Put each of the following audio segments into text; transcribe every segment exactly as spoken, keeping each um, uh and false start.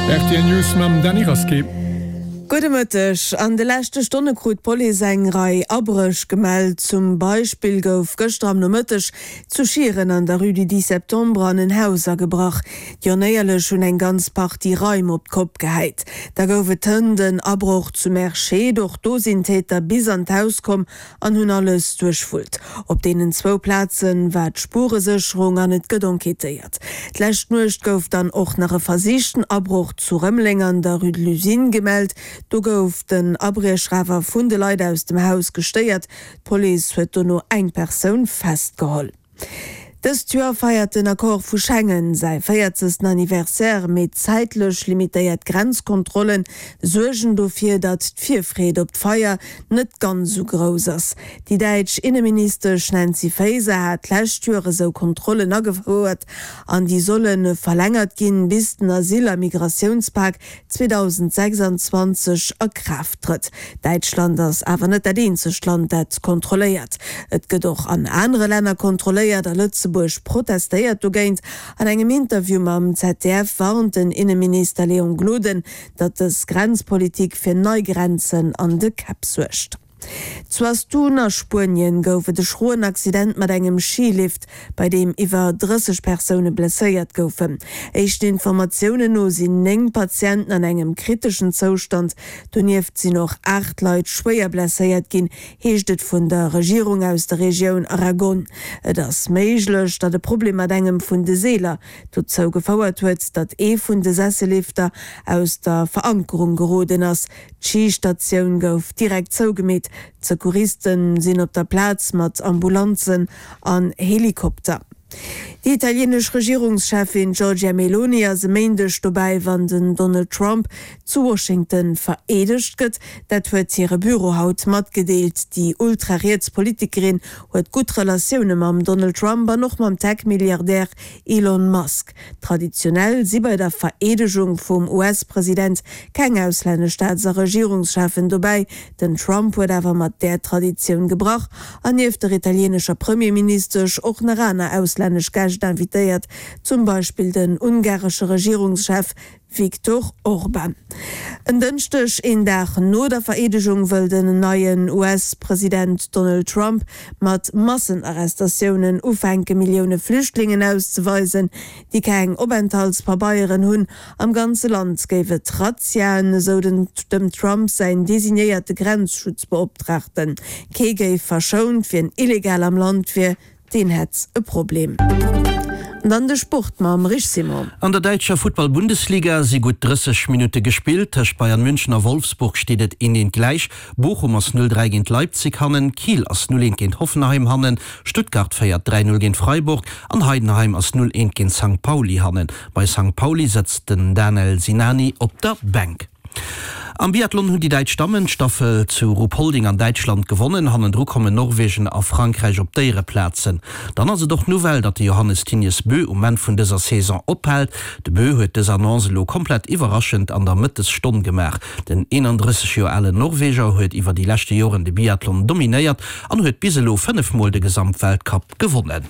Rtl News mam Dany Rasqué. Gudde Mëtteg. An de leschte Stonne krut d'Police eng Rei Abréch gemellt. Zum Beispill gouf gëschter am Nomëtteg zu Schieren an der Rue du dix septembre an en Haus agebrach. Déi Onéierlech hunn eng ganz Partie Raim op d'Kopp gehäit. Da gouf et hënt en Abroch zu Merscheed. Och do sinn d'Täter bis an d'Haus komm an hunn alles duerchwullt. Op deenen zwou Plaze war d'Spuresécherung an et gëtt enquêtéiert. D'lescht Nuecht gouf dann och nach e versichten Abroch zu Rëmeleng an der Rue de l'Usine gemellt. Do gouf den Abriecher awer vun de Leit aus dem Haus gestéiert. D'Police huet dono eng Persoun festgeholl. Dëst Joer feiert den Accord vu Schengen säi véierzegsten Anniversaire, mee zäitlech limitéiert Grenzkontrolle suergen dofir, datt d'Virfreed op d'Feier net ganz esou grouss ass. Déi däitsch Inneministesch Nancy Faeser hat d'lescht Joer esou Kontrollen agefouert an déi solle verlängert ginn, bis den Asyl a Migratiounspak zweedausendsechsanzwanzeg a Kraaft trëtt. Däitschland ass awer net dat eenzegt Land, dat kontrolléiert. Et gëtt och an anere Länner kontrolléiert a Lëtzebuerg protestéiert dogéint. An engem Interview mam Z D F warnt den Inneminister Léon Gloden, datt dës Grenzpolitik fir nei Grenzen an de Käpp suergt. Zu Astun a Spuenien gouf et e schroen Accident mat engem Skilift, bei deem iwwer drësseg Persoune blesséiert goufen. Éischten Informatiounen no sinn néng Patienten an engem kriteschen Zoustand, donieft sinn och aacht Leit schwéier blesséiert ginn, heescht et vun der Regierung aus der Regioun Aragon. Et ass méiglech, datt e Problem mat engem vun de Seeler dozou gefouert huet, datt ee vun de Sessellifter aus der Verankerung geroden ass. D'Schistatioun gouf direkt zougemeet, d'Secouriste sinn op der Plaz mat Ambulanzen an Helikopter. Déi italienesch Regierungscheffin Giorgia Meloni ass e Méindeg dobäi, wann den Donald Trump zu Washington vereedegt gëtt. Dat huet hire Büro haut matgedeelt. Déi ultrariets Politikerin huet gutt Relatioune mam Donald Trump an och mam Tech-Milliardär Elon Musk. Traditionell si bei der Vereedegung vum U S-President keng auslännesch Staats a Regierungscheffen dobäi. Den Trump huet awer mat där Traditioun gebrach an nieft der italienescher Premierministesch och nach aner auslännesch Gäscht invitéiert, zum Beispill den ungaresche Regierungschef Viktor Orban. En Dënschdeg, een Dag no der Vereedegung, wëll den neien U S-President Donald Trump mat Massenarrestatiounen ufänken, Millioune Flüchtlingen auszeweisen, déi keng Openthaltspabeieren hunn. Am ganze Land géif et Razziaen, esou den dem Trump säin designéierte Grenzschutzbeoptraagten. Kee géif verschount, wien illegal am Land wier, deen hätt e Problem. An dann de Sport mam Rich Simon. An der däitscher Futtball-Bundesliga si gutt drësseg Minutte gespillt. Tëscht Bayern München a Wolfsburg steet et een eent gläich. Bochum ass null dräi géint Leipzig hannen, Kiel ass null eent géint Hoffenheim hannen, Stuttgart féiert dräi null géint Freiburg an Heidenheim ass null eent géint Sankt Pauli hannen. Bei Sankt Pauli sëtzt den Danel Sinani op der Bänk. Am Biathlon hunn déi däitsch Dammen d'Staffel zu Ruhpolding an Däitschland gewonnen. Hannendru kommen Norwegen a Frankräich op d'Éiereplazen. Dann ass et och d'Nouvelle, datt de Johannes Thingnes Bö um Enn vun dëser Saison ophält. De Bö huet dës Annonce elo komplett iwwerraschend an der Mëttesstonn gemaach. Den eenandrësseg Joer alen Norweger huet iwwer déi leschte Joren de Biathlon dominéiert an huet bis elo fënnef Mol de Gesamtweltcup gewonnen.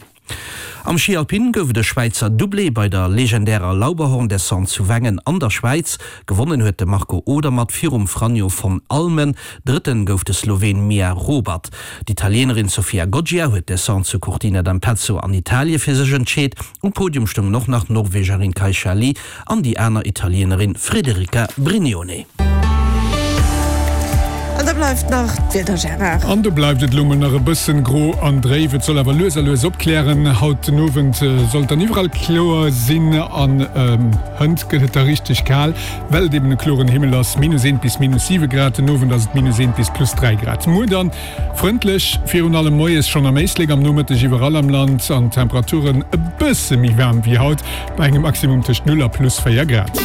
Am Schi Alpin gouf et e Schwäizer Doublé bei der legendärer Lauberhorn-Descente zu Wengen an der Schwäiz. Gewonnen huet de Marco Odermatt virum Franjo von Allmen, Drëtten gouf de Sloween Miha Hrobat. D'Italienerin Sofia Goggia huet d'Descente zu Cortina d'Ampezzo an Italie fir sech entscheet. Um Podium stoungen och nach d'Norwegerin Kaisa Lie an déi aner Italienerin Federica Brignone. An da bleift nach d'Wieder, Gérard. An do bleift et elo mol nach e bëssen gro an dréif. Et soll awer lues a lues opklären. Haut den Owend soll et dann iwwerall kloer sinn an hënt gëtt et da richteg kal, well et eben e kloren Himmel ass, minus eent bis minus siwe Grad. Den Owend ass et minus eent bis plus dräi Grad. Muer dann frëndlech, virun allem moies schonn am Éislek, am Nomëtteg iwwerall am Land an d'Temperaturen e bësse méi waarm wéi haut, bei engem Maximum tëscht null a plus véier Grad.